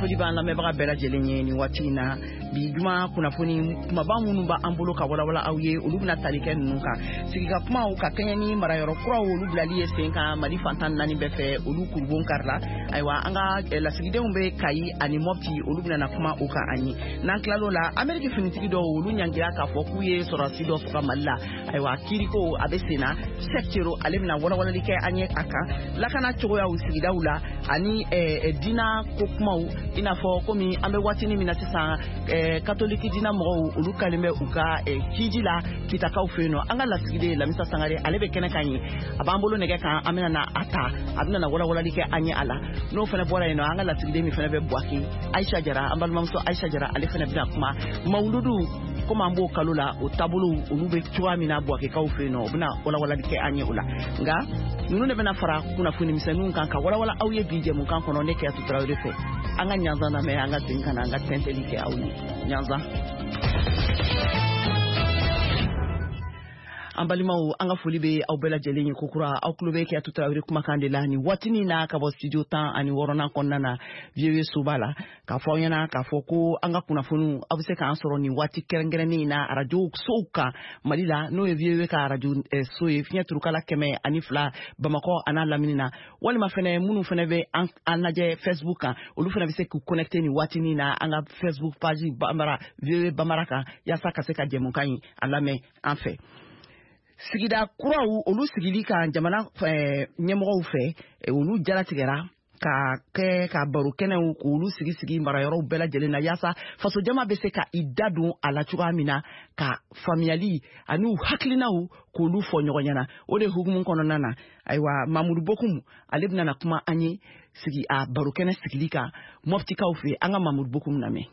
Foli b'an lamɛnbaga bɛɛ lajɛlen ye nin waati in na. Bi juma kunnafoni kumaba minnu b'an bolo ka walawala aw ye, olu bɛna tali kɛ ninnu kan: sigika kumaw ka kɛɲɛ ni marayɔrɔ kuraw, olu bilali ye sen kan Mali fantan naani bɛɛ fɛ, olu kurubon karila. Ayiwa, an ka lasigidenw bɛ Kayi ani Mɔpti, olu bɛna na kuma o kan an ye. N'an tilal'o la, Ameriki finitigi dɔw, olu ɲangira k'a fɔ k'u ye sɔrɔdasi dɔ faga Mali la. Ayiwa, kiiriko a bɛ sen na. Cheick Thiero, ale bɛna walawalali kɛ an ye a kan, lakana cogoyaw sigidaw la ani diina ko kumaw, i n'a fɔ komi an bɛ waatinin min na sisan, katoliki diina mɔgɔw, olu kalen bɛ u ka hiji la Kitakaw fɛ yen nɔ. An ka lasigiden Lamisa Sangare, ale bɛ kɛnɛ kan ye, a b'an bolo nɛgɛ kan, an bɛna na a ta, a bɛna na walawalali kɛ an ye a la. N'o fana bɔra yen nɔ, an ka lasigiden min fana bɛ Buwake, Ayisa Jara, an balimamuso Ayisa Jara, ale fana bɛna kuma mawuludu, komi an b'o kalo la, o taabolow olu bɛ cogoya min na Buwakekaw fɛ yen nɔ, o bɛna walawalali kɛ an ye o la. Nka ninnu de bɛna fara kunnafoni misɛnninw kan ka walawala aw ye bi jɛmukan kɔnɔ, ne Kɛyatu Tarawele fɛ. An ka ɲanzan lamɛn, an ka segin ka na an ka tɛntɛli kɛ aw ye. Ɲanzan. An balimaw, an ka foli bɛ aw bɛɛ lajɛlen ye kokura. Aw tulo bɛ Kɛyatu Tarawele kumakan de la nin waatinin na ka bɔ studio 16nan kɔnɔna na, VOA soba la, k'a fɔ aw ɲɛna k'a fɔ ko an ka kunnafoniw, aw bɛ se k'an sɔrɔ nin waati kɛrɛnkɛrɛnnen in na arajo sow kan Mali la, n'o ye VOA ka arajo so ye, fiɲɛ turukala 102 Bamakɔ an'a lamini na, walima fɛnɛ minnu fɛnɛ bɛ an lajɛ Facebook kan, olu fɛnɛ bɛ se k'u connecter nin waatinin na an ka Facebook page Bambara, VOA Bambara kan, yaasa ka se ka jɛmukan in a lamɛn an fɛ. Sigida kuraw, olu sigili kan jamana ɲɛmɔgɔw fɛ, olu jalatigɛra ka kɛ ka baro kɛnɛw k'olu sigi sigi marayɔrɔw bɛɛ lajɛlen na, yaasa fasojama bɛ se ka i da don a la cogoya min na, ka faamuyali ani u hakilinaw k'olu fɔ ɲɔgɔn ɲɛna. O de hukumu kɔnɔna na, ayiwa, Mamudu Bokum, ale bɛna na kuma an ye sigi a baro kɛnɛ sigili kan Mɔptikaw fɛ. An ka Mamudu Bokum lamɛn.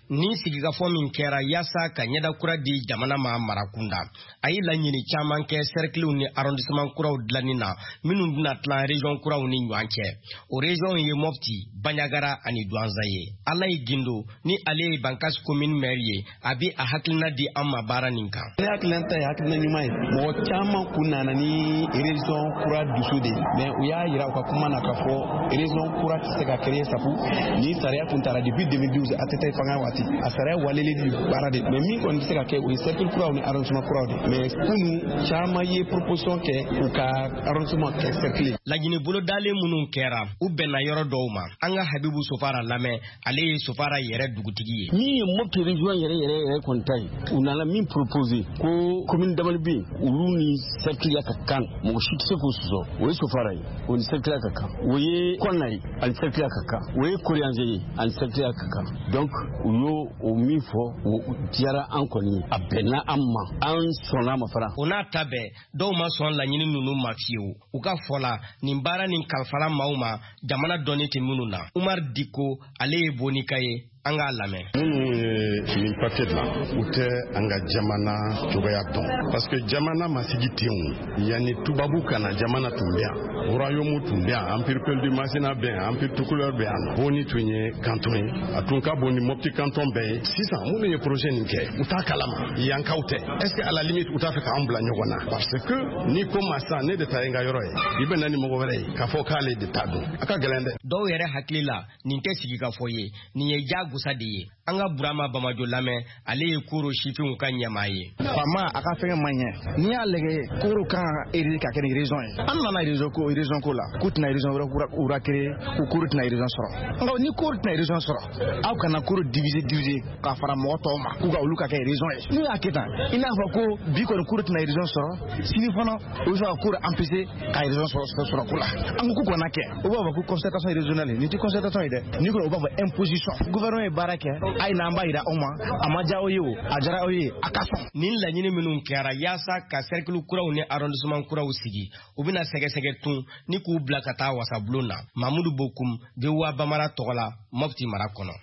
Nin sigikafɔ min kɛra yaasa ka ɲɛda kura di jamana ma marakunda, a ye laɲini caman kɛ sɛrikiliw ni arrondissement kuraw dilanni na, minnu bɛna tilan région kuraw ni ɲɔgɔn cɛ. O région ye Mɔpti, Banjagara ani Duwanza ye. Alayi Gindo, ni ale ye Bankas commune maire ye, a bɛ a hakilina di an ma baara nin kan. Ne hakilina ta ye hakilina ɲuman ye. Mɔgɔ caman kun nana ni région kura dusu de ye, mais u y'a yira u ka kuma na k'a fɔ région kura tɛ se ka créer, sabu ni sariya kun tara depuis 2012, ATT fanga waati, a sariya waleli di baara de. Mais min kɔni bɛ se ka kɛ, o ye cercle kuraw ni arrondissement kuraw de. Mais kunu, caman ye proposition kɛ u ka arrondissement kɛ cercle. Laɲini bolodalen minnu kɛra, u bɛnna yɔrɔ dɔw ma. An ka Habibu Sofara lamɛn, ale ye Sofara yɛrɛ dugutigi ye. Min ye Mopti région yɛrɛ yɛrɛ yɛrɛ kɔni ta ye, u nana min proposer ko commune damani bɛ yen, olu ni cercle ka kan, mɔgɔ si tɛ se k'o sɔsɔ, o ye Sofara ye, o ni cercle ka kan, o ye Kɔnna ye, ani cercle ka kan, o ye Koriyanze ye, ani cercle ka kan. Donc u y'o o min fɔ, o diyara an kɔni ye, a bɛnna an ma, an sɔnna ma fana. O n'a ta bɛɛ, dɔw ma sɔn laɲini ninnu ma fiyewu. U ka fɔ la, nin baara nin kalifala maaw ma jamana dɔnni tɛ minnu na. Umar Diko, ale ye Bonika ye, an k'a lamɛn. Minnu ye nin papier dilan, u tɛ an ka jamana cogoya dɔn, parce que jamana ma sigi ten. O yanni tubabu ka na, jamana tun bɛ yan, royaume tun bɛ yan, empire Peul du Masina bɛ yan, empire Tukulɛr bɛ yan. Boni tun ye canton ye, a tun ka bon ni Mopti canton bɛɛ ye. Sisan, minnu ye projet nin kɛ, u t'a kalama, yankaw tɛ. Est ce que à la limite u t'a fɛ k'an bila ɲɔgɔn na? Parce que ni ko ma sisan, ne de ta ye n ka yɔrɔ ye, i bɛ na ni mɔgɔ wɛrɛ ye k'a fɔ k'ale de ta don, a ka gɛlɛn dɛ. Dɔw yɛrɛ hakili la, nin tɛ sigikafɔ ye, nin ye jagosa de ye. An ka Burama Bamajo lamɛn, ale ye Koro sifinw ka ɲɛmaa ye. Faama a ka fɛngɛ man ɲɛ. N'i y'a lajɛ, Koro kan ka érigé ka kɛ ni région ye. An nana région ko la, k'u tɛna région wɛrɛ kura créer, ko Koro tɛna région sɔrɔ. Nka ni Koro tɛna région sɔrɔ, aw kana Koro diviser diviser ka fara mɔgɔ tɔw ma k'u ka olu ka kɛ région ye. N'u y'a kɛ tan, i n'a fɔ ko bi kɔni Koro tɛna région sɔrɔ, sini fana u bɛ fɛ ka Koro empêcher ka région sɔrɔ ko la. An ko k'u kana kɛ, u b'a fɔ ko concertation régionale. Nin tɛ concertation ye dɛ, n'i ko u b'a fɔ imposition. Gouvernement ye baara kɛ, a ye na, an b'a yira aw ma, a ma diya aw ye, o a diyara aw ye, a ka sɔn. Nin laɲini minnu kɛra yaasa ka cercle kuraw ni arrondissement kuraw sigi, u bɛna sɛgɛsɛgɛ tun ni k'u bila ka taa wasabulon na. Mamudu Bokum, VOA Bamara tɔgɔ la, Mopti mara kɔnɔ.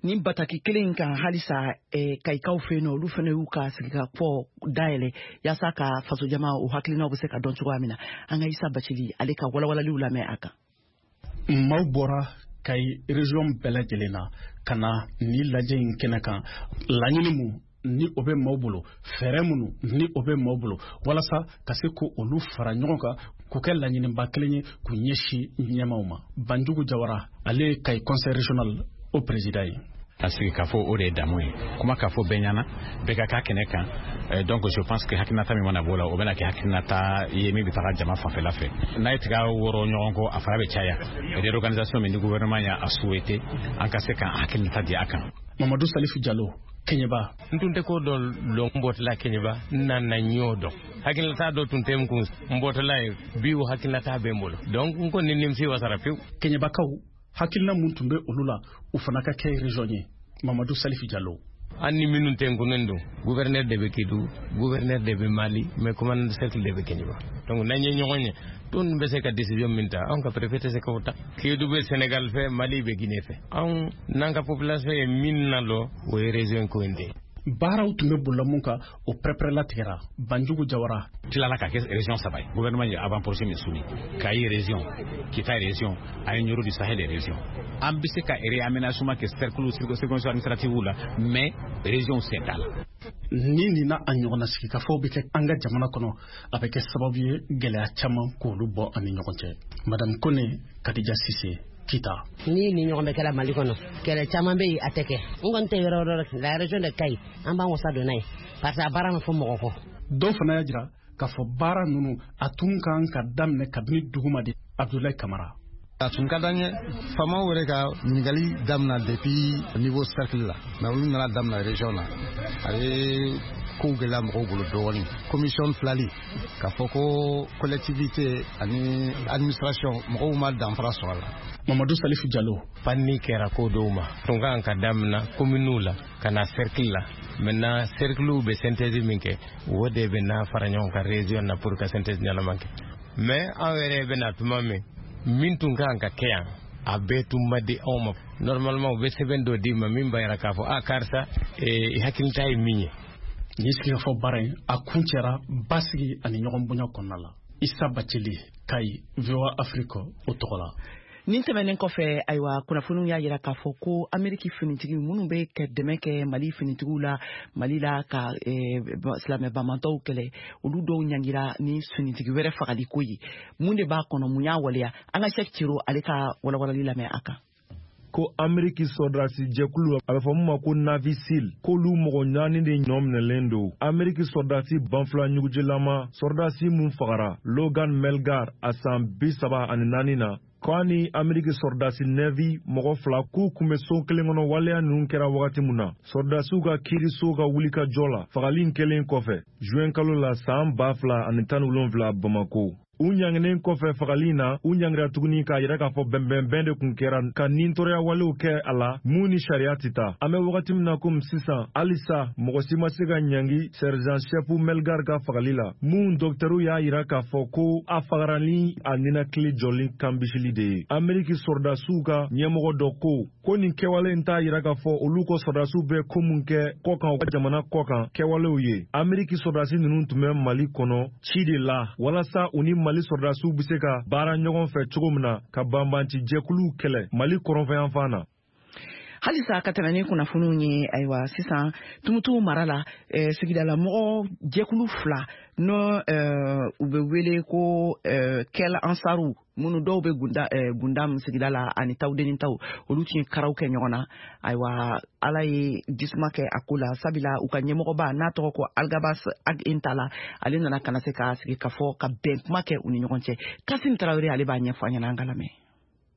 Nin bataki kelen in kan halisa, Kayikaw fɛ yen nɔ, olu fana y'u ka sigikafɔ dayɛlɛ yaasa ka fasojama o hakilinaw bɛ se ka dɔn cogoya min na. An ka Isa Bacili, ale ka walawalaliw lamɛn a kan. Maaw bɔra Kayi région bɛɛ lajɛlen na ka na ni lajɛ in kɛnɛ kan. Laɲini mun ni o bɛ maaw bolo, fɛɛrɛ minnu ni o bɛ maaw bolo walasa ka se ko olu fara ɲɔgɔn kan. k'u kɛ laɲiniba kelen ye k'u ɲɛsin ɲɛmaw ma. Banjugu Jawara, ale ye Kayi conseil régional o président ye. A sigi k'a fɔ, o de ye damu ye, kuma k'a fɔ bɛɛ ɲɛna, bɛɛ ka k'a kɛnɛ kan. Donc je pense que hakilinata min mana bɔ o la, o bɛna kɛ hakilinata ye min bɛ taga jama fanfɛla fɛ. N'a ye tiga wɔrɔ ɲɔgɔn kɔ, a fara bɛ caya. Réorganisation min ni gouvernement y'a souhaité, an ka se k'an hakilinata di a kan. Mamadu Salifu Jalo, Keɲeba. N tun tɛ ko dɔ lɔn, n bɔtɔla Keɲeba, n nana ɲɔ dɔn. Hakilinata dɔ tun tɛ n kun, n bɔtɔla ye bi, o hakilinata bɛ n bolo, donc n kɔni nimisi wasara pewu. Keɲebakaw hakilina mun tun bɛ olu la, o fana ka kɛ région ye? Mamadu Salifu Jalo. An ni minnu tɛ n kunnen don, gouverneur de bɛ Kédougou, gouverneur de bɛ Mali, mais commandant de cercle de bɛ Keɲeba. Donc n'an ye ɲɔgɔn ye, tun bɛ se ka décision min ta, anw ka préfet tɛ se k'o ta. Kédougou bɛ Sénégal fɛ, Mali bɛ Guinée fɛ. Anw n'an ka population ye min na lɔ, o ye région ko in de ye. Baaraw tun bɛ bolila mun kan, o pɛrɛpɛrɛlatigɛra. Banjugu Jawara. Tilala ka kɛ région saba ye. Gouvernement ye avant projet min soumis, Kayi région, Kita région ani Nioro du Sahel région. An bɛ se ka réaménagement kɛ cercle, circonscription administrative la, mais région sen t'a la. Ni nin n'a a ɲɔgɔnna sigikafɔw bɛ kɛ an ka jamana kɔnɔ, a bɛ kɛ sababu ye gɛlɛya caman k'olu bɔ an ni ɲɔgɔn cɛ. Madame Kone Kadija Sise, Kita. Ni ni ɲɔgɔn bɛ kɛra Mali kɔnɔ, kɛlɛ caman bɛ yen, a tɛ kɛ. N kɔni tɛ yɔrɔ wɛrɛ, la région de Kayi, an b'an wasa don n'a ye parce que a baara ma fɔ mɔgɔ kɔ. Dɔw fana y'a jira k'a fɔ baara ninnu, a tun kan ka daminɛ kabini duguma de. Abdoulaye Kamara. A tun ka d'an ye faamaw yɛrɛ ka ɲininkali damina depuis niveau cercle la, mais olu nana damina région na, a ye kow gɛlɛya mɔgɔw bolo dɔɔnin. Commission filali k'a fɔ ko collectivité ani administration, mɔgɔw ma danfara sɔrɔ a la. Mamadu Salifu Jalo. Panni kɛra ko dɔw ma, tun kan ka damina communew la ka na cercle la. Maintenant, cercle bɛ synthèse min kɛ, o de bɛ na fara ɲɔgɔn kan région na pour ka synthèse ɲɛnama kɛ. Mais anw yɛrɛ bɛ na tuma min, min tun kan ka kɛ yan, a bɛɛ tun ma di anw ma. Normalement, u bɛ sɛbɛn dɔ d'i ma min b'a yira k'a fɔ a karisa, i hakilita ye min ye. Nin sigikafɔ baara in, a kun cɛra basigi ani ɲɔgɔn bonya kɔnɔna la. Isa Bacili, Kayi, VOA Afrique o tɔgɔ la. Nin tɛmɛnen kɔfɛ, ayiwa, kunnafoniw y'a yira k'a fɔ ko Ameriki finitigi minnu bɛ ka dɛmɛ kɛ Mali finitigiw la Mali la ka silamɛ bamantɔw kɛlɛ, olu dɔw ɲangira ni finitigi wɛrɛ fagali ko ye. Mun de b'a kɔnɔ? Mun y'a waleya? An ka Sɛki Ciro, ale ka walawalali lamɛn a kan. Ko Ameriki sɔrɔdasi jɛkulu, a bɛ fɔ min ma ko Navy SEAL, k'olu mɔgɔ naani de ɲɔ minɛlen don. Ameriki sɔrɔdasi banfula ɲugujilama sɔrɔdasi mun fagara, Logan Melgar, a san 34 na, k'a ni Ameriki sɔrɔdasi Navy mɔgɔ fila, k'u kun bɛ so kelen kɔnɔ waleya ninnu kɛra wagati min na. Sɔrɔdasiw ka kiiriso ka wulikajɔ la, fagali in kɛlen kɔfɛ juin kalo la san 2017 Bamako, u ɲanginen kɔfɛ fagali in na, u ɲangira tuguni k'a yira k'a fɔ bɛnbɛnbɛn de kun kɛra ka nintɔrɔya walew kɛ a la mun ni sariya tɛ taa. An bɛ wagati min na komi sisan, halisa mɔgɔ si ma se ka ɲangi sergent chef Melgar ka fagali la, mun dɔkitɛriw y'a yira k'a fɔ ko a fagara ni a ninakili jɔli kanbisili de ye. Ameriki sɔrɔdasiw ka ɲɛmɔgɔ dɔ ko ko nin kɛwale in t'a yira k'a fɔ olu kɔ sɔrɔdasiw bɛ ko mun kɛ kɔkan, u ka jamana kɔkan kɛwalew ye. Ameriki sɔrɔdasi ninnu tun bɛ Mali kɔnɔ ci de la walasa u ni Mali sɔrɔdasiw bɛ se ka baara ɲɔgɔn fɛ cogo min na ka banbanci jɛkuluw kɛlɛ Mali kɔrɔnfɛyanfan na. Halisa ka tɛmɛ ni kunnafoniw ye, ayiwa, sisan Tumutu mara la, sigidala mɔgɔ jɛkulu fila n'o u bɛ wele ko Kɛl Ansaru, minnu dɔw bɛ Gunda, Gundam sigida la ani Tawudeni taw, olu tun ye karaw kɛ ɲɔgɔn na. Ayiwa, Ala ye jisuma kɛ a ko la, sabula u ka ɲɛmɔgɔba n'a tɔgɔ ko Algabas Ag Intala, ale nana ka na se ka sigi ka fɔ ka bɛn kuma kɛ u ni ɲɔgɔn cɛ. Kasim Tarawele, ale b'a ɲɛfɔ an ɲɛna, an ka lamɛn.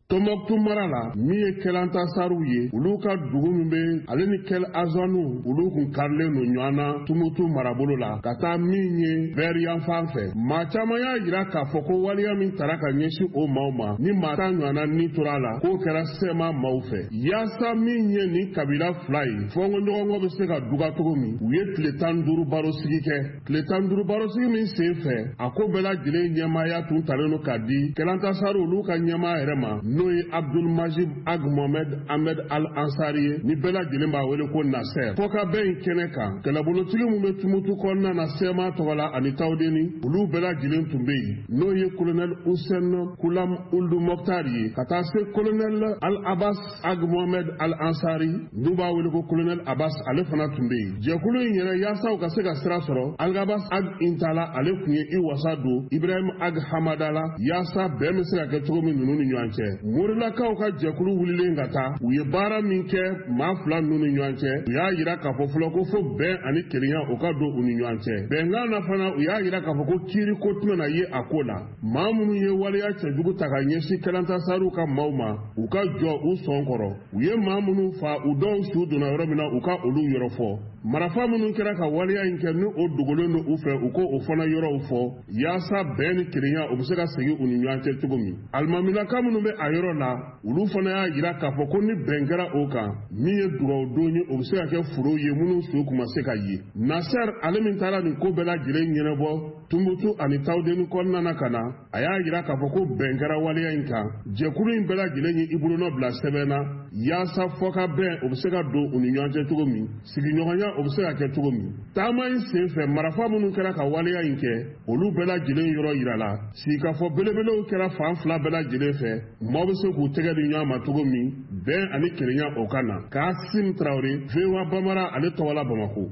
Tɔnbɔkutu mara la, min ye Kɛlantasariw ye, olu ka dugu min bɛ ale ni Kɛl Azanu, olu kun karilen don ɲɔgɔn na Tumutu marabolo la ka taa min ye bɛri yanfan fɛ. Maa caman y'a jira k'a fɔ ko waleya min tara ka ɲɛsin o maaw ma, ni maa 10 ɲɔgɔnna ni tora a la, k'o kɛra sɛma maaw fɛ. Yaasa min ye nin kabila fila ye fɔnkɔɲɔgɔnkɔ bɛ se ka duga cogo min, u ye tile 15 barosigi kɛ. Tile 15 barosigi min sen fɛ, a ko bɛɛ lajɛlen ɲɛmaaya tun talen don k'a di Kɛlantasariw olu ka ɲɛmaa yɛrɛ ma. n'o ye Abdul Majib Ag Mohamed Ahmed Al Ansari ye, ni bɛɛ lajɛlen b'a wele ko Nasser. Fɔkabɛn in kɛnɛ kan, kɛlɛbolotigi min bɛ Tumutu kɔnɔna na CMA tɔgɔ la ani Tawudeni, olu bɛɛ lajɛlen tun bɛ yen, n'o ye colonel Hussein Kulam Ould Mokhtar ye, ka taa se colonel Al Abbas Ag Mohamed Al Ansari, n'u b'a wele ko colonel Abbas, ale fana tun bɛ yen. Jɛkulu in yɛrɛ, yaasa u ka se ka sira sɔrɔ, Algabas Ag Intala ale tun ye i wasa don Ibrahim Ag Hamada la, yaasa bɛn bɛ se ka kɛ cogo min ninnu ni ɲɔgɔn cɛ. Morilakaw ka jɛkulu wulilen ka taa, u ye baara min kɛ maa fila ninnu ni ɲɔgɔn cɛ, u y'a yira k'a fɔ fɔlɔ ko fo bɛn ani kelenya o ka don u ni ɲɔgɔn cɛ. Bɛnkan na fana, u y'a yira k'a fɔ ko kiiri ko tɛna na ye a ko la. Maa minnu ye waleya cɛjugu ta ka ɲɛsin Kɛlantasaruw ka maaw ma, u ka jɔ u sɔn kɔrɔ. U ye maa minnu fa, u dɔw su donna yɔrɔ min na, u ka olu yɔrɔ fɔ. Marafa minnu kɛra ka waleya in kɛ, ni o dogolen don u fɛ, u ko o fana yɔrɔw fɔ, yaasa bɛn ni kelenya o bɛ se ka segin u ni ɲɔgɔn cɛ cogo min. Alimamilaka minnu bɛ a yɔrɔ la, olu fana y'a yira k'a fɔ ko ni bɛn kɛra o kan, min ye dugawudon ye, o bɛ se ka kɛ foro ye minnu su kun ma se ka ye. Nasser ale min taara nin ko bɛɛ lajɛlen ɲɛnabɔ Tumutu ani Tawudeni kɔnɔna na ka na, a y'a yira k'a fɔ ko bɛn kɛra waleya in kan. Jɛkulu in bɛɛ lajɛlen ye i bolonɔ bila sɛbɛn na, yaasa fɔkabɛn o bɛ se ka don u ni ɲɔgɔn cɛ cogo min, sigiɲɔgɔnya o bɛ se ka kɛ cogo min. Taama in sen fɛ, marafa minnu kɛra ka waleya in kɛ, olu bɛɛ lajɛlen yɔrɔ yirala. Sigikafɔ belebelew kɛra fan fila bɛɛ lajɛlen fɛ, maaw bɛ se k'u tɛgɛ di ɲɔgɔn ma cogo min, bɛn ani kelenya o ka na. Kasim Traoré, VOA Bambara ale tɔgɔ la Bamako.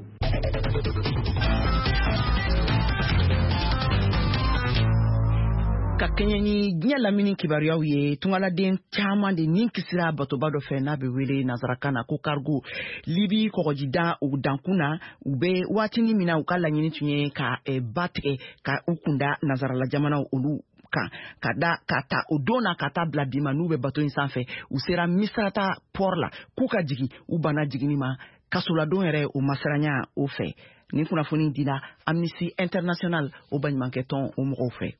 Ka kɛɲɛ ni diɲɛ lamini kibaruyaw ye, tungaladen caman de nin kisira batoba dɔ fɛ n'a bɛ wele nansarakan na ko cargo, Libi kɔgɔjida o dankun na. U bɛ waatinin min na, u ka laɲini tun ye ka ba tigɛ ka u kunda nansarala jamanaw olu kan. Ka da ka ta o don na ka taa bila bi ma, n'u bɛ bato in sanfɛ, u sera Misrata port la k'u ka jigin, u banna jiginni ma. Kasoladon yɛrɛ o masiranya o fɛ. Nin kunnafoni dila Amnesty International o baɲumankɛtɔn o mɔgɔw fɛ.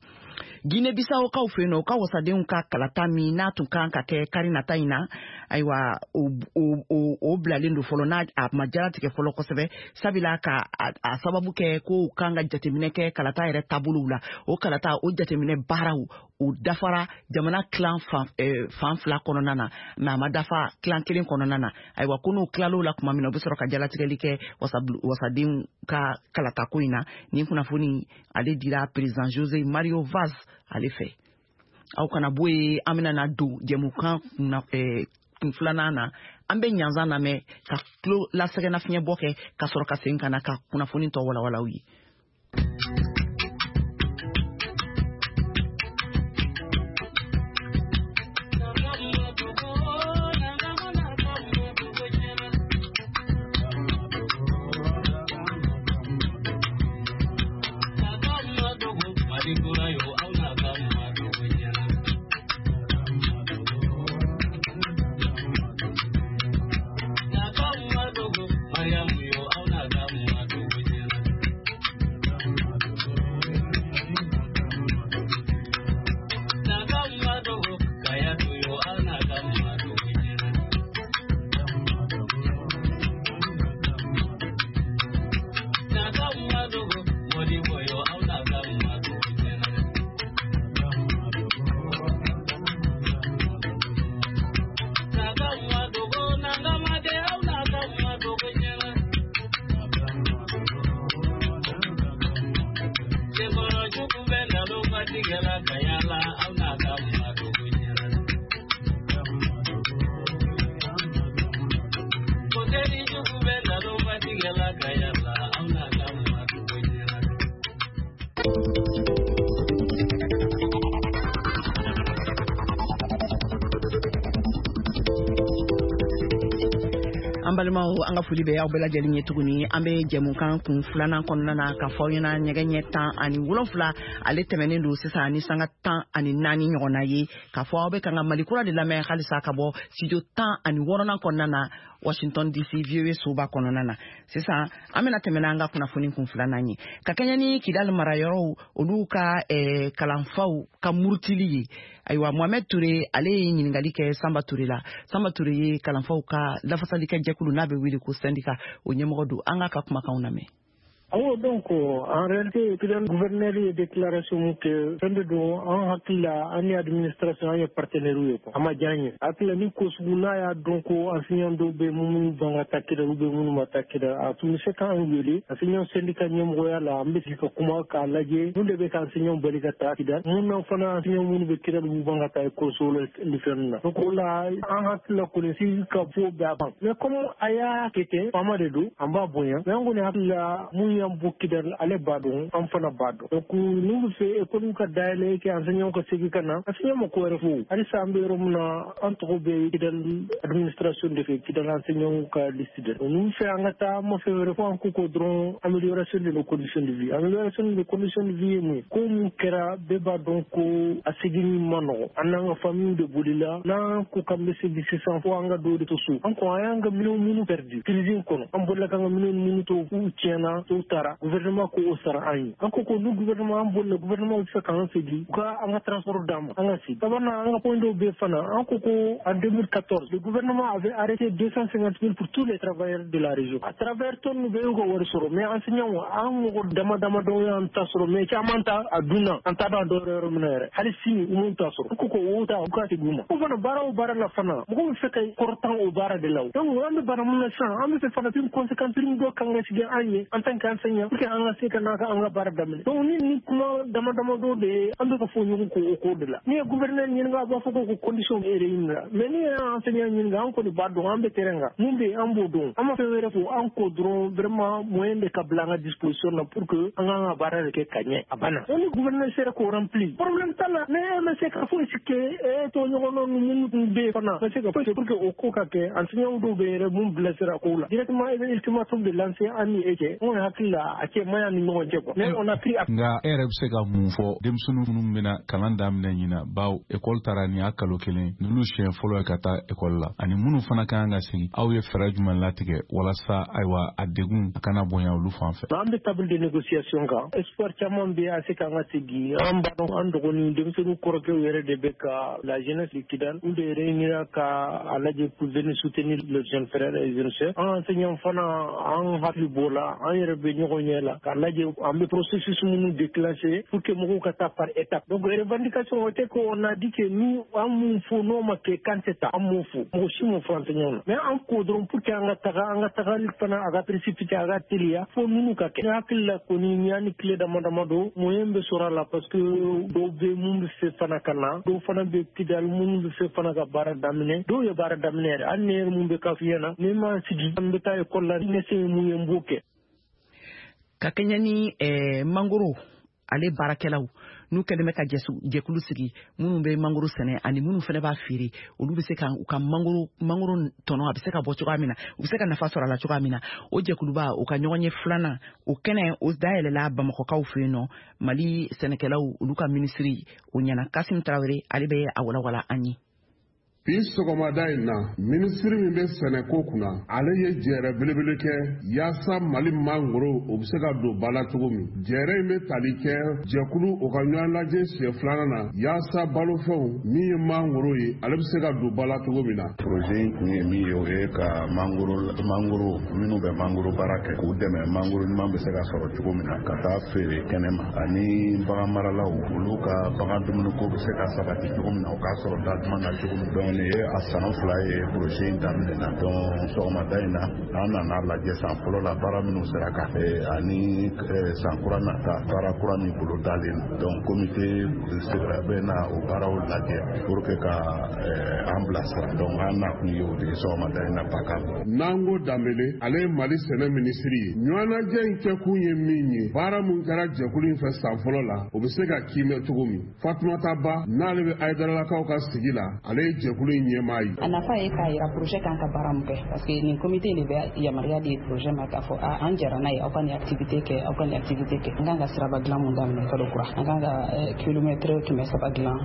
Guinée Bissau kaw fɛ yen nɔ, u ka wasadenw ka kalata min n'a tun kan ka kɛ kari nata in na, ayiwa, o bilalen don fɔlɔ, n'a a ma jaratigɛ fɔlɔ kosɛbɛ, sabula ka a sababu kɛ ko u kan ka jateminɛ kɛ kalata yɛrɛ taabolow la. O kalata o jateminɛ baaraw o dafara jamana kilan fan fila kɔnɔna na, mɛ a ma dafa kilan kelen kɔnɔna na. Ayiwa, ko n'u tilal'o la tuma min na, u bɛ sɔrɔ ka jalatigɛli kɛ wasadenw ka kalatako in na. Nin kunnafoni ale dira président José Mario Vaz ale fɛ. Aw kana bɔ yen, an bɛna na don jɛmukan kun filanan na. An bɛ ɲanzan lamɛn ka tulo lasɛgɛnnafiɲɛbɔ kɛ, ka sɔrɔ ka segin ka na ka kunnafoni tɔ walawala aw ye. An balimaw, an ka foli bɛ aw bɛɛ lajɛlen ye tuguni. An bɛ jɛmukan kun filanan kɔnɔna na ka fɔ aw ɲɛna, ɲɛgɛ ɲɛ 17 ale tɛmɛnen don sisan ni sanga 14 ɲɔgɔnna ye, k'a fɔ aw bɛ kan ka Mali kura de lamɛn halisa ka bɔ studio 16nan kɔnɔna na, Washington DC VOA soba kɔnɔna na. Sisan an bɛna tɛmɛ n'an ka kunnafoni kun filanan ye, ka kɛɲɛ ni Kidali marayɔrɔw olu ka kalanfaw ka murutili ye. Ayiwa, Mohamed Touré ale ye ɲininkali kɛ Samba Touré la. Samba Touré ye kalanfaw ka lafasalikɛ jɛkulu n'a bɛ wele ko syndicat o ɲɛmɔgɔ don. An k'a ka kumakanw lamɛn. Awɔ, donc en réalité, Kidal gouverneur ye déclaration mun kɛ, fɛn de don, an hakili la, an ni administration, an ye partenaire ye quoi. A ma diya an ye. Hakili la, ni ko sugu n'a y'a dɔn ko enseignant dɔw bɛ minnu ban ka taa Kidal ou bien minnu ma taa Kidal, a tun bɛ se k'an wele enseignant syndicat ɲɛmɔgɔya la, an bɛ sigi ka kuma k'a lajɛ mun de bɛ ka enseignant bali ka taa Kidal, mun na fana enseignant minnu bɛ Kidal b'u ban ka taa école la ni fɛn na. Donc o la, an hakili la kɔni, sigi ka fɔ bɛɛ a ban. Mais comme a y'a kɛ ten, faama de don, an b'a bonya. Mais an kɔni hakili la, mun y'an bɔ Kidal, ale b'a dɔn, an fana b'a dɔn. Donc n'u bɛ fɛ école ka dayɛlɛ kɛ, enseignant ka segin ka na, enseignant ma ko wɛrɛ fɔ. Halisa an bɛ yɔrɔ min na, an tɔgɔ bɛ Kidal administration de fɛ, Kidal enseignant ka liste de. N'u fɛ an ka taa, an ma fɛn wɛrɛ fɔ, an ko ko dɔrɔn amélioration de nos conditions de vie. Amélioration de nos conditions de vie ye mun ye? Ko mun kɛra, bɛɛ b'a dɔn ko a seginni ma nɔgɔ. An n'an ka famille de bolila. N'an ko k'an bɛ segin sisan, fo an ka dɔw de to so. An ko an y'an ka minɛnw minnu perdu crise in kɔnɔ, an bolila k'an ka minɛnw minnu to, k'u tiɲɛna, dɔw taara, gouvernement ko o sara an ye. An ko ko ni gouvernement, an bolila, gouvernement bɛ fɛ k'an segin, u ka an ka transport d'an ma, an ka segin. Sabanan, an ka point dɔw bɛ fana, an ko ko en 2014, le gouvernement avait arrêté 250 000 pour tous les travailleurs de la région. À travers tɔn bɛɛ y'u ka wari sɔrɔ, mais enseignants, an mɔgɔ dama dama dɔw y'an ta sɔrɔ, mais caman ta a dunna, an t'a dɔn a dɔw yɔrɔ min na yɛrɛ. Hali sini u m'u ta sɔrɔ. U ko ko o ta, u ka segin u ma. O fana, baara o baara la fana, mɔgɔw bɛ fɛ ka kɔrɔtan o baara de la. O donc an bɛ baara mun na sisan, an bɛ fɛ fana prime conséquence, prime dɔ kan ka sigi an ye en tant qu'enseignant pour que an ka se ka n'a ka an ka baara daminɛ. Donc ni kuma dama dama dɔw de ye, an bɛ ka fɔ ɲɔgɔn kɔ o ko de la. N'i ye gouverneur ɲininka, a b'a fɔ ko condition bɛ réuni la, mais n'i ye enseignant ɲininka, an kɔni b'a dɔn, an bɛ terrain kan, mun bɛ yen, an b'o dɔn. An ma fɛn wɛrɛ fɔ, an ko dɔrɔn vraiment moyen de ka bila an ka disposition na pour que an k'an ka baara de kɛ ka ɲɛ, a banna. Donc ni gouverneur sera k'o rempli, problème t'a la. Mais e ma se ka foyi si kɛ, e tɔɲɔgɔnnaw ni minnu tun bɛ yen fana ma se ka foyi kɛ pour que o ko ka kɛ. Enseignant dɔw bɛ yɛrɛ mun bilasira kow la directement, e bɛ ultimatum de lancer an ni e cɛ. N kɔni hakili la, a cɛ man ɲi ni ɲɔgɔn cɛ quoi, mais on a pris. Nka e yɛrɛ bɛ se ka mun fɔ denmisɛnnin minnu bɛna kalan daminɛ ɲina, bawo ekɔli taara nin y'a kalo 1, ninnu siɲɛ fɔlɔ ye ka taa ekɔli la, ani minnu fana ka kan ka segin, aw ye fɛɛrɛ jumɛn latigɛ walasa ayiwa a degun a kana bonya olu fan fɛ? An bɛ table de négociation kan. Espoir caman bɛ a se k'an ka segin. An b'a dɔn, an dɔgɔnin denmisɛnnin kɔrɔkɛw yɛrɛ de bɛ ka la jeunesse de Kidal, olu de réunira ka a lajɛ pour venir soutenir les jeunes frères et jeunes sœurs. An enseignants fana, an hakili b'o la, an yɛrɛ bɛ ɲɔgɔn ɲɛ la k'a lajɛ an bɛ processus minnu déclencher pour que mɔgɔw ka taa par étape. Donc revendication o tɛ ko on a dit que ni an mun fɔ n'o ma kɛ, k'an tɛ taa. An m'o fɔ, mɔgɔ si m'o fɔ enseignant na, mais an ko dɔrɔn pour que an ka taga, an ka tagali fana a ka précipiter, a ka teliya, fo ninnu ka kɛ. Ne hakili la kɔni, ni y'an ni tile dama dama don, moyen bɛ sɔrɔ a la, parce que dɔw bɛ mun bɛ fɛ fana ka na, dɔw fana bɛ Kidal minnu bɛ fɛ fana ka baara daminɛ, dɔw ye baara daminɛ yɛrɛ. Hali ne yɛrɛ mun bɛ ka f'i ɲɛna, ni ma sigi, an bɛ taa ekɔli la, ne se ye mun ye, n b'o kɛ. Ka kɛɲɛ ni mangoro ale baarakɛlaw n'u kɛlen bɛ ka jɛkulu sigi, minnu bɛ mangoro sɛnɛ ani minnu fana b'a feere, olu bɛ se ka u ka mangoro tɔnɔ a bɛ se ka bɔ cogoya min na, u bɛ se ka nafa sɔrɔ a la cogoya min na, o jɛkuluba o ka ɲɔgɔn ye filanan, o kɛnɛ o dayɛlɛla Bamakɔkaw fɛ yen nɔ, Mali sɛnɛkɛlaw olu ka minisiri o ɲɛna. Kasim Tarawele, ale bɛ a walawala an ye. Bi sɔgɔmada in na, minisiri min bɛ sɛnɛko kunna, ale ye jɛrɛ belebele kɛ yaasa Mali mangoro o bɛ se ka don ba la cogo min. Jɛrɛ in bɛ tali kɛ jɛkulu o ka ɲɔgɔn lajɛ siɲɛ filanan na yaasa balofɛnw min ye mangoro ye, ale bɛ se ka don ba la cogo min na. Projet in kun ye min ye, o ye ka mangoro minnu bɛ mangoro baara kɛ, k'u dɛmɛ mangoro ɲuman bɛ se ka sɔrɔ cogo min na ka taa feere kɛnɛ ma, ani bagan maralaw olu ka bagan dumuniko bɛ se ka sabati cogo min na, o k'a sɔrɔ da duman na cogo min. Nin ye a san 2 ye projet in daminɛna. Donc sɔgɔmada in na, an nana lajɛ san fɔlɔ la baara minnu sera ka kɛ, ani san kura nata baara kura min bolo dalen. Donc comité sigira bɛ na o baaraw lajɛ pour que ka an bilasira. Donc an nakun ye o de ye sɔgɔmada in na Baka. Nango Danbele, ale ye Mali sɛnɛ minisiri ye. Ɲɔgɔnnajɛ in kɛkun ye min ye, baara mun kɛra jɛkulu in fɛ san fɔlɔ la, o bɛ se ka kiimɛ cogo min. Fatumata Ba, n'ale bɛ Ayidaralakaw ka sigi la, ale ye jɛkulu in ɲɛmaa ye. A nafa ye k'a yira projet kan ka baara mun kɛ, parce que nin comité de bɛ yamaruya di projet ma k'a fɔ a an jɛra n'a ye, aw ka nin activité kɛ, aw ka nin activité kɛ. An kan ka siraba dilan mun daminɛ kalo kura, an kan ka kilomètre 300 dilan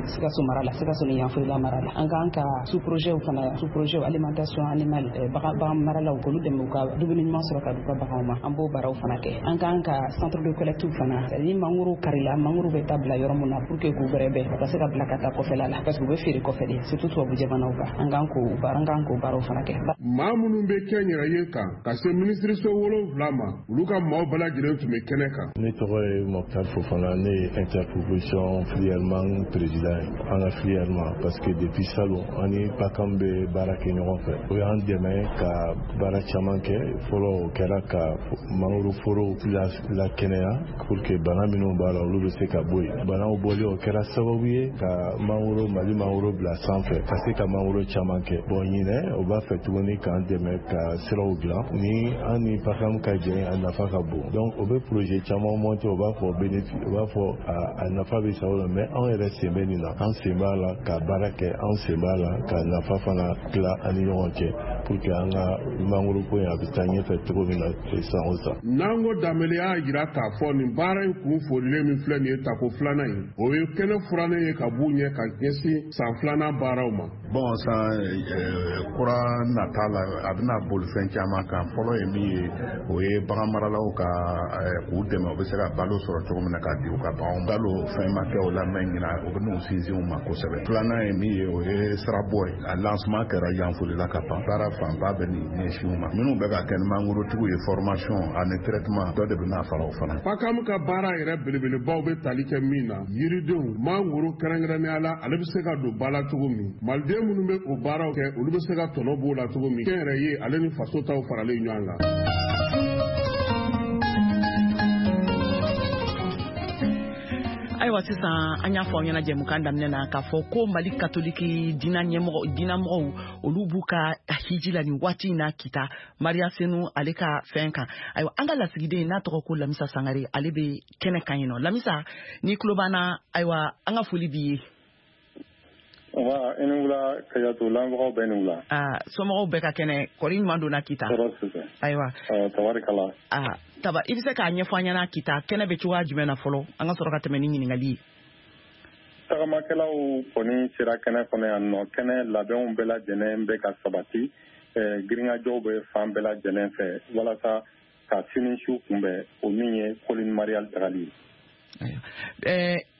Sikaso mara la, Sikaso ni Yanfolila mara la. An kan ka sous projet fana, sous projet alimentation animale, bagan maralaw k'olu dɛmɛ u ka dumuni ɲuman sɔrɔ ka d'u ka baganw ma, an b'o baaraw fana kɛ. An kan ka centre de collecte fana, ni mangoro karila, mangoro bɛ taa bila yɔrɔ mun na pour que k'u bɛrɛbɛn u ka se ka bila ka taa kɔfɛla la, parce que u bɛ feere kɔfɛ de. surtout tubabu jamanaw kan. An kan k'o baara, an kan k'o baaraw fana kɛ. Maa minnu bɛ kɛnyɛrɛye kan ka se minisiriso 7 ma, olu ka maaw bɛɛ lajɛlen tun bɛ kɛnɛ kan. Ne tɔgɔ ye Mokhtar Fofana, ne ye interprofession filière mangue président ye an ka filière ma, parce que depuis salon an ni PACAM bɛ baara kɛ ɲɔgɔn fɛ. O y'an dɛmɛ ka baara caman kɛ. Fɔlɔ, o kɛra ka mangoro forow lakɛnɛya pour que bana minnu b'a la, olu bɛ se ka bɔ yen. Banaw bɔli, o kɛra sababu ye ka mangoro, Mali mangoro bila sanfɛ, ka se ka mangoro caman kɛ. Bon, ɲinɛ o b'a fɛ tuguni k'an dɛmɛ ka siraw dilan. Ni an ni PACAM ka jɛ, a nafa ka bon. Donc o bɛ projet caman monter, o b'a fɔ bénéfice, o b'a fɔ a nafa bɛ sa o la, mais anw yɛrɛ sen bɛ nin na, an sen b'a la ka baara kɛ, an sen b'a la ka nafa fana tila an ni ɲɔgɔn cɛ pour que an ka mangoro ko in a bɛ taa ɲɛfɛ cogo min na san o san. Nango Danbele y'a jira k'a fɔ nin baara in kun folilen min filɛ nin ye, tako filanan in, o ye kɛnɛ furannen ye ka b'u ɲɛ ka ɲɛsin san filanan baaraw ma. Bon, san kura nata la, a bɛna boli fɛn caman kan. Fɔlɔ ye min ye, o ye bagan maralaw ka k'u dɛmɛ, u bɛ se ka balo sɔrɔ cogo min na ka di u ka baganw. Balo fɛn ma kɛ o la, mɛ ɲina o bɛ n'u sinsin u ma kosɛbɛ. Filanan ye min ye, o ye sirabɔ ye. A lancement kɛra Yanfolila ka ban. Baara fanba bɛ nin ɲɛsin u ma. Minnu bɛ ka kɛ ni mangorotigiw ye, formation ani traitement, dɔ de bɛ n'a fara o fana. PACAM ka baara yɛrɛ belebelebaw bɛ tali kɛ min na, yiridenw, mangoro kɛrɛnkɛrɛnnenya la, ale bɛ se ka don ba la cogo min, maliden minnu bɛ o baaraw kɛ, olu bɛ se ka tɔnɔ b'o la cogo min, kɛnyɛrɛye ale ni faso taw faralen ɲɔgɔn kan. Ayiwa, sisan an y'a fɔ aw ɲɛna jɛmukan daminɛ na k'a fɔ ko Mali katoliki diina ɲɛmɔgɔ, diinamɔgɔw, olu b'u ka hiji la nin waati in na Kita, Mariya Senu ale ka fɛn kan. Ayiwa, an ka lasigiden n'a tɔgɔ ko Lamisa Sangare, ale bɛ kɛnɛ kan yen nɔ. Lamisa, ni tulo b'an na, ayiwa, an ka foli b'i ye. Wa i ni wula Kajatu, lamɛnbagaw bɛɛ ni wula. Aa, somɔgɔw bɛɛ ka kɛnɛ, kɔri ɲuman donna Kita? Tɔɔrɔ si tɛ. Ayiwa. Tabarikala. Aa, taba, i bɛ se k'a ɲɛfɔ an ɲɛna Kita kɛnɛ bɛ cogoya jumɛn na fɔlɔ, an ka sɔrɔ ka tɛmɛ ni ɲininkali ye? Tagamakɛlaw kɔni sera kɛnɛ kɔnɔ yan nɔ. Kɛnɛ labɛnw bɛɛ lajɛlen bɛ ka sabati, girinkajɔw bɛ fan bɛɛ lajɛlen fɛ walasa ka sini su kunbɛn, o min ye Colline Mariale tagali ye.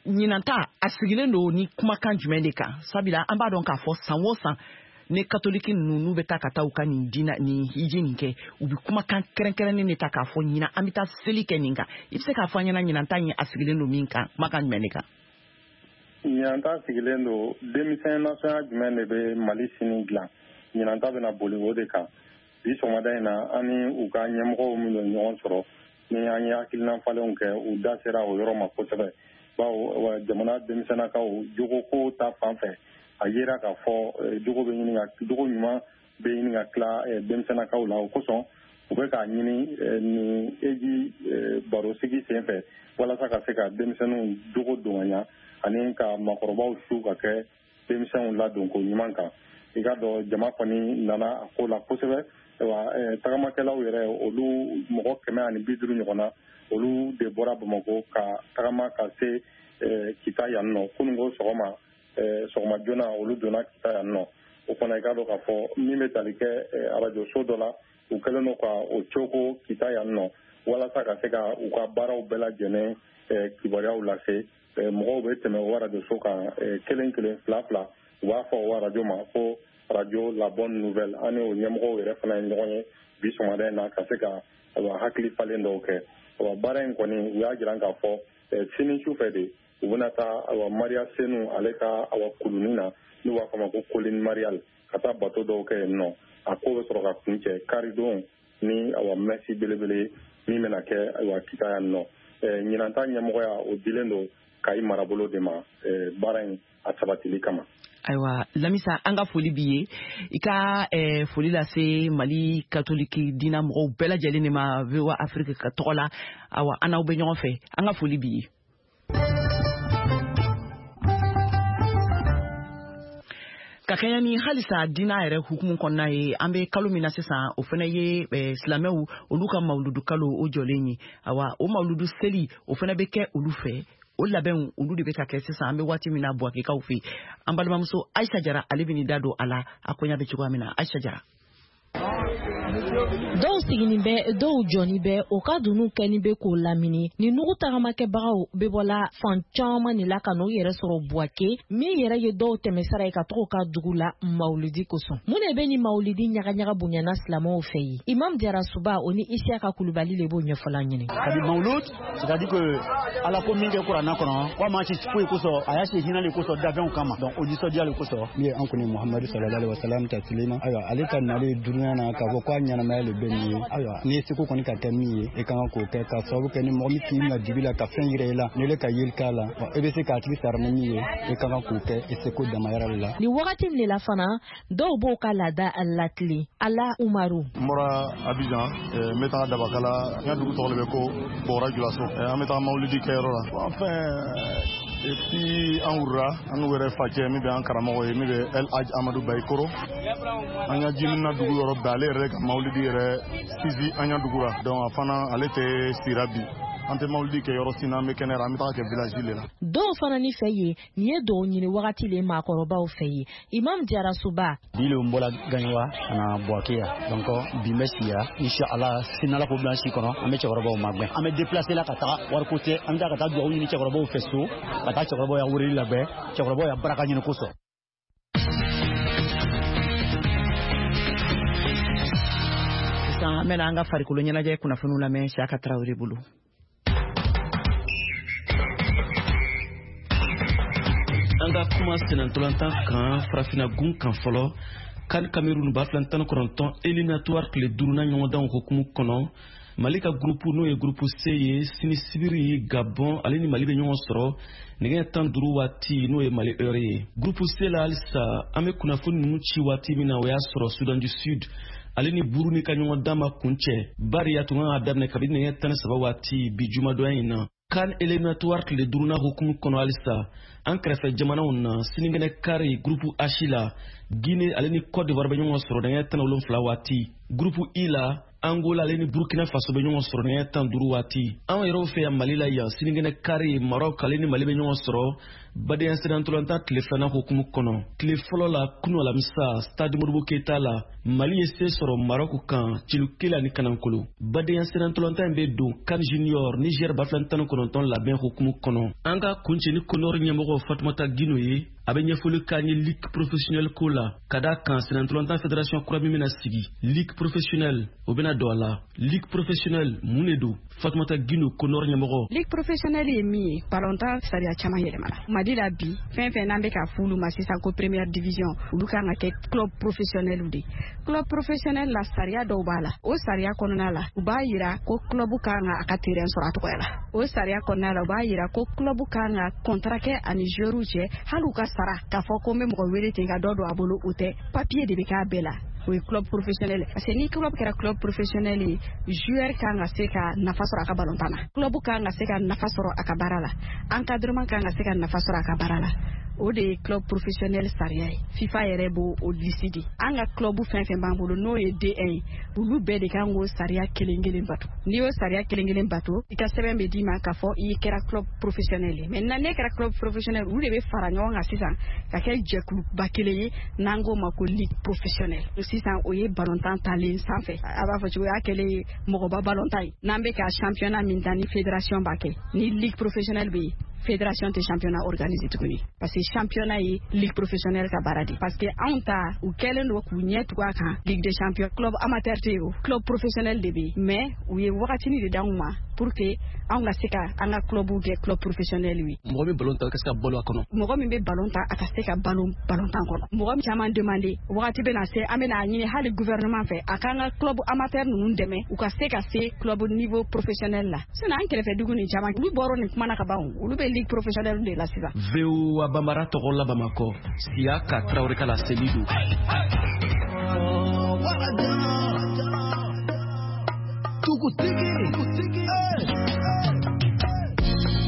Ɲinan ta a sigilen don ni kumakan jumɛn de kan? Sabula an b'a dɔn k'a fɔ san o san, ni katoliki ninnu n'u bɛ taa ka taa u ka nin diina nin hiji nin kɛ, u bɛ kumakan kɛrɛnkɛrɛnnen de ta k'a fɔ ɲinan an bɛ taa seli kɛ nin kan. I bɛ se k'a fɔ an ɲɛna ɲinan ta in a sigilen don min kan, kumakan jumɛn de kan? Ɲinan ta sigilen don denmisɛn nasɔnya jumɛn de bɛ Mali sini dilan. Ɲinan ta bɛna boli o de kan. Bi sɔgɔmada in na, an ni u ka ɲɛmɔgɔw minnu ye ɲɔgɔn sɔrɔ, ni an ye hakilina falenw kɛ, u da sera o yɔrɔ ma kosɛbɛ, bawo jamana denmisɛnnakaw jogoko ta fan fɛ, a yera k'a fɔ jogo bɛ ɲini ka, jogo ɲuman bɛ ɲini ka tila denmisɛnnakaw la. O kosɔn u bɛ k'a ɲini nin eji barosigi sen fɛ walasa ka se ka denmisɛnninw jogo don ka ɲa ani ka maakɔrɔbaw su ka kɛ denmisɛnw ladonko ɲuman kan. I ka dɔn, jama kɔni nana a ko la kosɛbɛ. Wa tagamakɛlaw yɛrɛ, olu mɔgɔ 150 ɲɔgɔn na, olu de bɔra Bamakɔ ka tagama ka se Kita yan nɔ kununko sɔgɔma. Sɔgɔma joona olu donna Kita yan nɔ. O fana, i k'a dɔn k'a fɔ min bɛ tali kɛ arajoso dɔ la, u kɛlen don ka o coko Kita yan nɔ walasa ka se ka u ka baaraw bɛɛ lajɛlen kibaruyaw lase. Mɔgɔw bɛ tɛmɛ o arajoso kan kelen kelen, fila fila. U b'a fɔ o arajo ma ko radio La Bonne Nouvelle. An ni o ɲɛmɔgɔw yɛrɛ fana ye ɲɔgɔn ye bi sɔgɔmada in na ka se ka hakili falen dɔw kɛ. Baara in kɔni, u y'a jira k'a fɔ sini su fɛ de u bɛna taa, awa, Mariya Senu ale ka, awa, kulunin na, n'u b'a fɔ a ma ko Colline Mariale, ka taa bato dɔw kɛ yen nɔ. A ko bɛ sɔrɔ ka kuncɛ karidon ni, awa, messe belebele min bɛna kɛ, ayiwa, Kita yan nɔ. Ɲinan ta ɲɛmɔgɔya, o dilen don Kayi marabolo de ma baara in a sabatili kama. Ayiwa Lamisa, an ka foli b'i ye. I ka foli lase Mali katoliki diina mɔgɔw bɛɛ lajɛlen de ma VOA Afrique ka tɔgɔ la. Awa, an n'aw bɛ ɲɔgɔn fɛ, an ka foli b'i ye. Ka kɛɲɛ ni halisa diina yɛrɛ hukumu kɔnɔna ye, an bɛ kalo min na sisan, o fana ye silamɛw olu ka mawuludu kalo o jɔlen ye. Awa, o mawuludu seli, o fana bɛ kɛ olu fɛ. O labɛnw, olu de bɛ ka kɛ sisan an bɛ waati min na Buwakekaw fɛ. An balimamuso Ayisa Jara, ale bɛ da don a la, a koɲa bɛ cogoya min na. Ayisa Jara. Dɔw siginin bɛ, dɔw jɔni bɛ, o ka dunun kɛni bɛ k'o lamini. Ni nugu tagamakɛbagaw bɛ bɔla fan caman de la ka n'u yɛrɛ sɔrɔ Buwake, min yɛrɛ ye dɔw tɛmɛsira ye ka taga u ka dugu la mawuludi kosɔn. Mun de bɛ ni mawuludi ɲagaɲaga bonyana silamɛw fɛ yen? Imam Jarasuba o ni Isiyaka Kulubali de b'o ɲɛfɔla ɲini. Kabi mawulud, c'est-à-dire que Ala ko min kɛ kuranna kɔnɔ, ko a ma ci foyi kosɔn, a y'a ci hinɛ le kosɔn, dafɛnw kama. Donc o nisɔndiya le kosɔn. Min ye an kɔni Muhamadu sallallahu alaihi wasallam ta tilema, ayiwa ale ka nalen dunuya na k'a fɔ k'a ɲɛnamaya le bɛ nin ye. Ayiwa n'i ye seko kɔni ka kɛ min ye, i ka kan k'o kɛ, k'a sababu kɛ ni mɔgɔ min k'i minɛ dibi la ka fɛn yira i la, n'i ka yeli k'a la, e bɛ se k'a tigi sara ni min ye, i ka kan k'o kɛ i seko damayɔrɔ de la. Nin wagati de la fana, dɔw b'o ka laada latilen. Ala Umaru. N bɔra Abidjan, n bɛ taga Dabakala, n ka dugu tɔgɔ de bɛ ko Bɔgɔra Julaso. An bɛ taga mawulidi kɛyɔrɔ la. Enfin, et puis an wurura, an n'u yɛrɛ facɛ min bɛ an karamɔgɔ ye, min bɛ El Hadj Amadou Bayikoro. An ka jimina dugu yɔrɔ bɛɛ, ale yɛrɛ ka mawulidi yɛrɛ sisi an ka dugu la. Donc a fana ale tɛ sira bi. An tɛ mawulidi kɛ yɔrɔ si n'an bɛ kɛnɛ la, an bɛ taga kɛ village le la. Dɔw fana ni fɛ yen, nin ye dɔw ɲini wagati le maakɔrɔbaw fɛ yen. Imam Jarasuba. Bi le n bɔra Gaɲuwa ka na Buwake yan. Donc bi n bɛ si yan. Inshallah sini Ala k'o bila an si kɔnɔ, an bɛ cɛkɔrɔbaw magɛn. An bɛ déplacer la ka taga, wariko tɛ, an bɛ taa ka taa dugawu ɲini cɛkɔrɔbaw fɛ so, ka taa cɛkɔrɔbaw ya weleli labɛn, cɛkɔrɔbaw ya baraka ɲini kosɔn. Sisan an bɛna an ka farikolo ɲɛnajɛ kunnafoniw lamɛn Siyaka Tarawele bolo. An ka kuma sennantolatan kan farafinna gun kan fɔlɔ. CAN Cameroun 2019 éliminatoire tile duurunan ɲɔgɔndanw hukumu kɔnɔ, Mali ka groupe n'o ye groupe C ye, sini sibiri Gabon ale ni Mali bɛ ɲɔgɔn sɔrɔ nɛgɛ 15 waati, n'o ye Mali heure ye. Groupe C la halisa, an bɛ kunnafoni ninnu ci waati min na, o y'a sɔrɔ Soudan du Sud ale ni Burundi ka ɲɔgɔndan ma kuncɛ, bari a tun kan ka daminɛ kabini nɛgɛ 13 waati bi jumadonya in na. CAN éliminatoire tile duurunan hukumu kɔnɔ halisa, an kɛrɛfɛ jamanaw na, sinikɛnɛ kari groupe H la, Guinée ale ni Côte d'Ivoire bɛ ɲɔgɔn sɔrɔ nɛgɛ 17 waati. Groupe I la, Angola ale ni Burkina Faso bɛ ɲɔgɔn sɔrɔ nɛgɛ 15 waati. Anw yɛrɛw fɛ yan Mali la yan, sinikɛnɛ kari Maroc ale ni Mali bɛ ɲɔgɔn sɔrɔ badenya sennantolatan tile filanan hukumu kɔnɔ. Tile fɔlɔ la kunu alamisa, stade Modibo Keita la, Mali ye se sɔrɔ Maroc kan celu kelen ani kanankolo. Badenya sennantolatan in bɛ don CAN Junior Niger 2019 labɛn hukumu kɔnɔ. An ka kuncɛ ni Conor ɲɛmɔgɔ Fatumata Gino ye, a bɛ ɲɛfɔli k'an ye ligue professionnelle ko la, ka d'a kan sennantolatan fédération kura min bɛna sigi, ligue professionnelle o bɛna don a la. Ligue professionnelle mun de don? Fatumata Gino, Conor ɲɛmɔgɔ. Ligue professionnelle ye min ye, balontan sariya caman yɛlɛmana Mali la bi. Fɛn fɛn n'an bɛ ka f'olu ma sisan ko première division, olu kan ka kɛ club professionnel de. Club professionnel la, sariya dɔw b'a la. O sariya kɔnɔna la, u b'a yira ko club kan ka a ka terrain sɔrɔ a tɔgɔ la. O sariya kɔnɔna la, u b'a yira ko club kan ka contrat kɛ ani joueurs cɛ, hali u ka sara k'a fɔ ko n bɛ mɔgɔ wele ten ka dɔ don a bolo, o tɛ. Papier de bɛ k'a bɛɛ la. O ye club professionnel. Parce que ni club kɛra club professionnel ye, joueur kan ka se ka nafa sɔrɔ a ka balontan na, club kan ka se ka nafa sɔrɔ a ka baara la, encadrement kan ka se ka nafa sɔrɔ a ka baara la. O de ye club professionnel sariya ye. FIFA yɛrɛ b'o o liste di. An ka club fɛn fɛn b'an bolo n'o ye D1 ye, olu bɛɛ de kan k'o sariya kelen kelen bato. N'i y'o sariya kelen kelen bato, i ka sɛbɛn bɛ d'i ma k'a fɔ i kɛra club professionnel ye. Maintenant n'e kɛra club professionnel, olu de bɛ fara ɲɔgɔn kan sisan ka kɛ jɛkuluba kelen ye n'an k'o ma ko ligue professionnelle. Sisan o ye balontan talen sanfɛ, a b'a fɔ cogo y'a kɛlen ye mɔgɔba balontan ye. N'an bɛ ka championnat min ta ni fédération b'a kɛ, ni ligue professionnelle bɛ yen, fédération tɛ championnat organisé tuguni, parce que championnat ye ligue professionnelle ka baara de. Parce que anw ta, u kɛlen don k'u ɲɛ tugu a kan, ligue des champions club amateur tɛ yen, o club professionnel de bɛ yen. Mais u ye wagatinin de d'anw ma pour que anw ka se ka an ka club kɛ club professionnel ye. Mɔgɔ min ballon ta, a ka se ka balo a kɔnɔ. Mɔgɔ min bɛ ballon ta, a ka se ka balo ballon tan kɔnɔ. Mɔgɔ min caman demandé, wagati bɛna se an bɛna ɲini hali gouvernement fɛ a k'an ka club amateur ninnu dɛmɛ, u ka se ka se club niveau professionnel la. Sinon an kɛrɛfɛ dugu nin caman, olu bɔra nin kuma na ka ban, olu bɛ ligue professionnelle de la sisan. VOA Bambara tɔgɔ la Bamakɔ, Siyaka Tarawele ka laseli don. Dugutigi,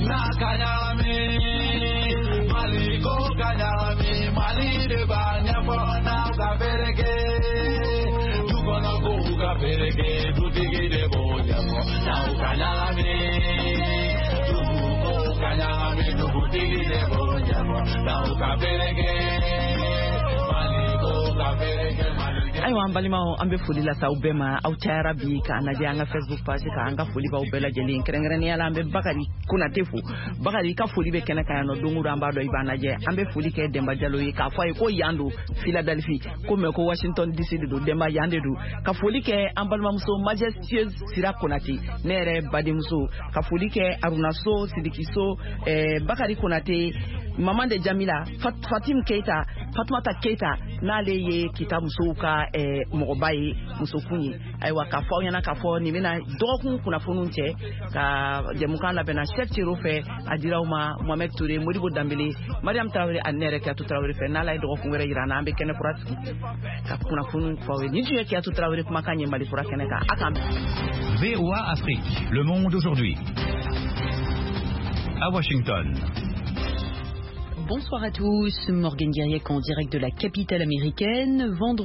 n'a ka ɲagami, Mali ko ka ɲagami, Mali de b'a ɲɛfɔ n'aw ka fereke. Du kɔnɔ kow ka fereke, dutigi de b'o ɲɛfɔ n'aw ka ɲagami. Dugu kow ka ɲagami, dugutigi de b'o ɲɛfɔ n'aw ka fereke. Mali ko ka fereke, Mali. Ayiwa, an balimaw, an bɛ foli lase aw bɛɛ ma. Aw cayara bi k'an lajɛ an ka Facebook page kan. An ka foli b'aw bɛɛ lajɛlen, kɛrɛnkɛrɛnnenya la an bɛ Bakari Konate fo. Bakari, i ka foli bɛ kɛnɛ kan yan nɔ. Don o don an b'a dɔn i b'an lajɛ. An bɛ foli kɛ Denba Jalo ye, k'a fɔ a ye ko yan don Philadelphie, ko mais ko Washington DC de don. Denba, yan de don. Ka foli kɛ an balimamuso majestueuse Sira Konate, ne yɛrɛ badenmuso. Ka foli kɛ Aruna So, Sidiki So, Bakari Konate, maman de Jamila, Fatim Keita, Fatumata Keita, n'ale ye Kita musow ka mɔgɔba ye, musokun ye. Ayiwa, k'a fɔ aw ɲɛna k'a fɔ nin bɛna dɔgɔkun kunnafoniw cɛ ka jɛmukan labɛnna Chef Cero fɛ, a dira aw ma Mohamed Touré, Modibo Danbele, Mariam Tarawele ani ne yɛrɛ Kiyatu Tarawele fɛ. N'Ala ye dɔgɔkun wɛrɛ yira an na, an bɛ kɛnɛ kura sigi ka kunnafoniw fɔ aw ye. Nin tun ye Kiyatu Tarawele kumakan ye Mali kura kɛnɛ kan. A k'an VOA Afrique, le monde aujourd'hui. À Washington. Bonsoir à tous, Morgan Guiriec en direct de la capitale américaine. Vendredi